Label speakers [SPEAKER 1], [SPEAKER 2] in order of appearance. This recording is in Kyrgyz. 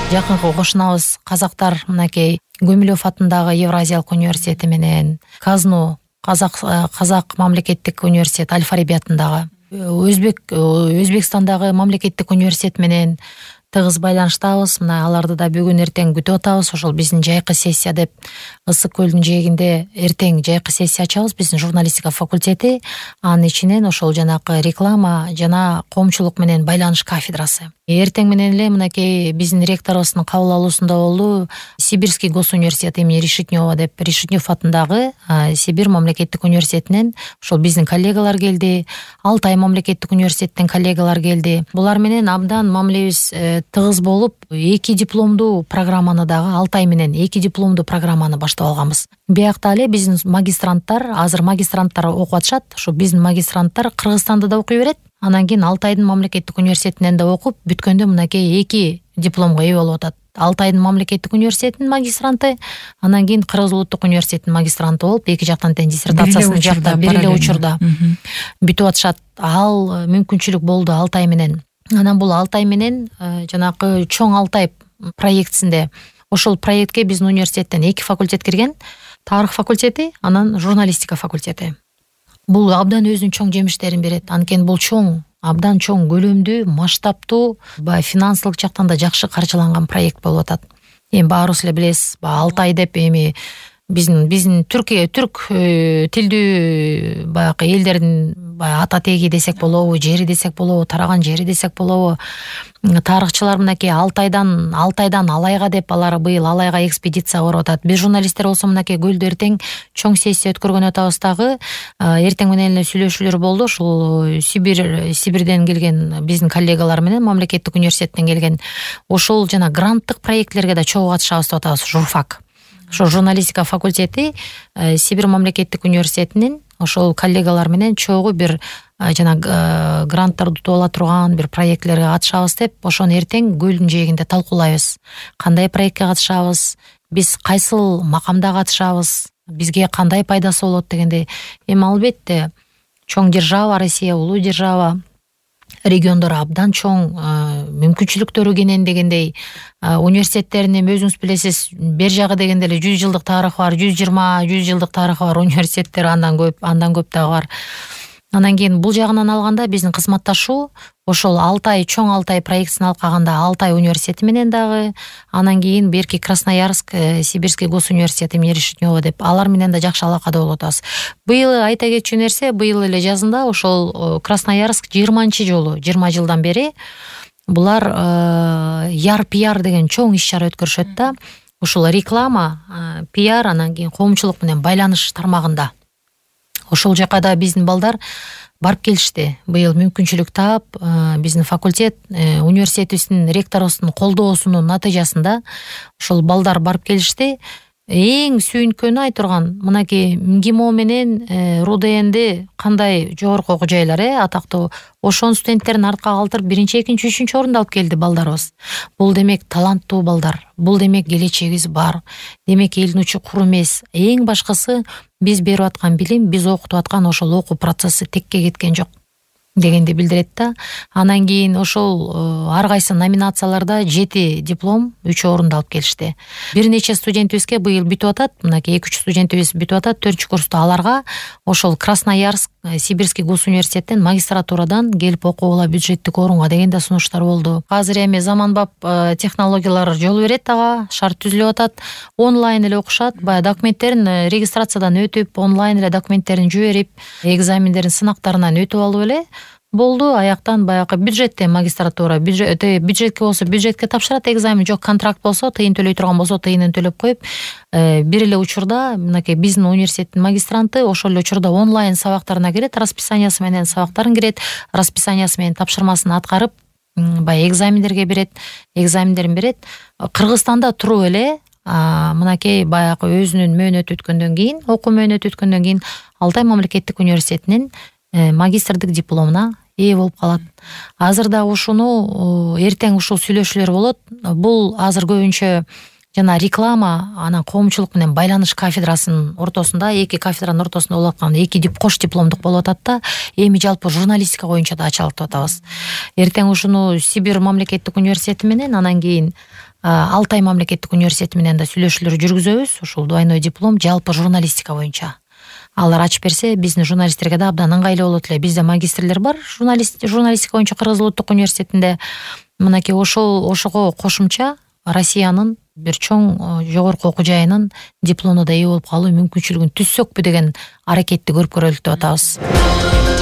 [SPEAKER 1] Жакынкы кошунабыз казактар мынакей Гумилев атындагы Евразиялык университети менен КАЗНУ Казак мамлекеттик университет Аль-Фараби атындагы Өзбекстандагы мамлекеттик университет менен тыгыз байланыштабыз. Мына аларды да бүгүн эртең күтүп атабыз. Ошол биздин жайкы сессия деп Ысык көлдүн жээгинде эртең жайкы сессия ачабыз. Биздин журналистика факультети, анын ичинен ошол жанагы реклама жана коомчулук менен байланыш кафедрасы. Эртең менен эле мынакей биздин ректорубуздун кабыл алуусунда болду. Сибирский госуниверситет имени Решетнева деп Решетнев атындагы Сибирь мамлекеттик университетинен ошол биздин коллегалар келди. Алтай мамлекеттик университеттен коллегалар келди. Булар менен абдан мамилебиз тыгыз болуп, 2 дипломдуу программаны дагы Алтай менен 2 дипломдуу программаны баштап алганбыз. Биякта эле биздин магистранттар, азыр магистранттар окуп атышат. Ошо биздин магистранттар Кыргызстанда да окуй берет. Анан кийин Алтайдын мамлекеттик университетинен да окуп, бүткөндө мынакей 2 дипломго ээ болуп атат. Алтайдын мамлекеттик университетинин магистранты, анан кийин Кыргыз улуттук университетинин магистранты болуп, эки жактан тең диссертациясын жакта бир эле учурда бүтүп атышат. Ал мүмкүнчүлүк болду Алтай менен. Анан бул Алтай менен жанагы Чоң Алтай проектисинде ошол проектке биздин университеттен 2 факультет кирген. Тарых факультети, анан журналистика факультети. Бул абдан өзүнүн чоң жемиштерин берет. Анткени бул чоң, абдан чоң, көлөмдүү, масштабтуу, финансылык жактан да жакшы каржыланган проект болуп атат. Эми баарыбыз эле билесиз, Алтай деп эми биздин түрк тилдүү баягы элдердин ата теги десек болобу, жери десек болобу, тараган жери десек болобу. Тарыхчылар мынакей Алтайдан Алайга деп алар быйыл Алайга экспедиция барып атат. Биз журналисттер болсо мынакей көлдө эртең чоң сессия өткөргөн атабыз дагы. Эртең менен эле сүйлөшүүлөр болду. Ушул Сибирден келген биздин коллегалар менен мамлекеттик университеттен келген ошол жана гранттык проектлерге да чогуу катышабыз деп атабыз. Журфак. Ошо журналистика факультети Сибирь мамлекеттик университетинин ошол коллегалар менен чогуу бир жана гранттарды утуп ала турган бир проектлерге катышабыз деп, ошону эртең көлдүн жээгинде талкуулайбыз. Кандай проектке катышабыз, биз кайсыл макамда катышабыз, бизге кандай пайдасы болот дегендей. Эми албетте чоң держава, Россия улуу держава, региондор абдан чоң, мүмкүнчүлүктөрү кенен дегендей. Университеттерин эми өзүңүз билесиз, бер жагы дегенде эле 100 жылдык тарыхы бар, 120 жылдык тарыхы бар университеттер андан көп дагы бар. Анан кийин бул жагынан алганда биздин кызматташуу ошол Чоң Алтай проектисин алкаганда Алтай университети менен дагы, анан кийин берки Красноярск, Сибирский госуниверситет имени Решетнева деп алар менен да жакшы алакада болуп атабыз. Быйыл айта кетчү нерсе, быйыл эле жазында ошол Красноярск 20 жолу, 20 жылдан бери булар PR деген чоң иш-чара өткөрүшөт да. Ушул реклама, PR, анан кийин коомчулук менен байланыш тармагында. Ошол жака да биздин балдар барып келишти. Быйыл мүмкүнчүлүк таап, биздин факультет, университетибиздин ректорубуздун колдоосунун натыйжасында ошол балдар барып келишти. Эң сүйүнткөнү айтырган, мынакей МГИМО менен РУДНди кандай жогорку окуу жайлар, атактуу ошон студенттерин артка калтырып 1-2, 3 орунду алып келди балдарыбыз. Бул демек таланттуу балдар, бул демек келечегибиз бар. Демек элдин учу кур эмес. Эң башкысы биз берип аткан билим, биз окутуп аткан ошол окуу процесси текке кеткен жок дегенди билдирет да. Анан кийин ошол ар кайсы номинацияларда 7 диплом, 3 орунду алып келишти. Бир нече студентибизге быйыл бүтүп атат, мынакей 2-3 студентибиз бүтүп атат, 4-курста аларга ошол Красноярск, Сибирский госуниверситеттен магистратурадан келип окугула бюджеттик орунга деген да сунуштар болду. Азыр эми заманбап технологиялар жол берет ага, шарт түзүлүп атат. Онлайн эле окушат, документтерин регистрациядан өтүп, онлайн эле документтерин жиберип, экзамендерин сынактарынан өтүп алып эле болду. Аяктан баягы бюджетте магистратура, бюджетке болсо бюджетке тапшырат экзамен, жок контракт болсо, тыйын төлөй турган болсо тыйынын төлөп коюп, бир эле учурда мынакей биздин университеттин магистранты ошол эле учурда онлайн сабактарына кирет, расписаниясы менен сабактарын кирет, расписаниясы менен тапшырмасын аткарып, экзамендерге берет, экзамендерин берет. Кыргызстанда туруп эле мынакей баягы өзүнүн мөөнөтү өткөндөн кийин, окуу мөөнөтү өткөндөн кийин Алтай мамлекеттик университетинин магистрдик дипломуна ээ болуп калат. Азыр да ушуну эртең ушул сүйлөшүүлөр болот. Бул азыр көбүнчө жана реклама, анан коомчулук менен байланыш кафедрасынын ортосунда, 2 кафедранын ортосунда болуп аткан 2 кош дипломдук болуп атат да, эми жалпы журналистика боюнча да ачалып атабыз. Эртең ушуну Сибирь мамлекеттик университети менен, анан кийин Алтай мамлекеттик университети менен да сүйлөшүүлөр жүргүзөбүз. Ушул двойной диплом жалпы журналистика боюнча. Алар ачып берсе, биздин журналисттерге да абдан ыңгайлуу болот эле. Бизде магистрлер бар, журналистика боюнча Кыргыз Улуттук университетинде. Мынакей ошого кошумча Россиянын бир чоң жогорку окуу жайынын дипломуна да ээ болуп калуу мүмкүнчүлүгүн түзсөкпү деген аракетти көрүп көрөлүк деп атабыз.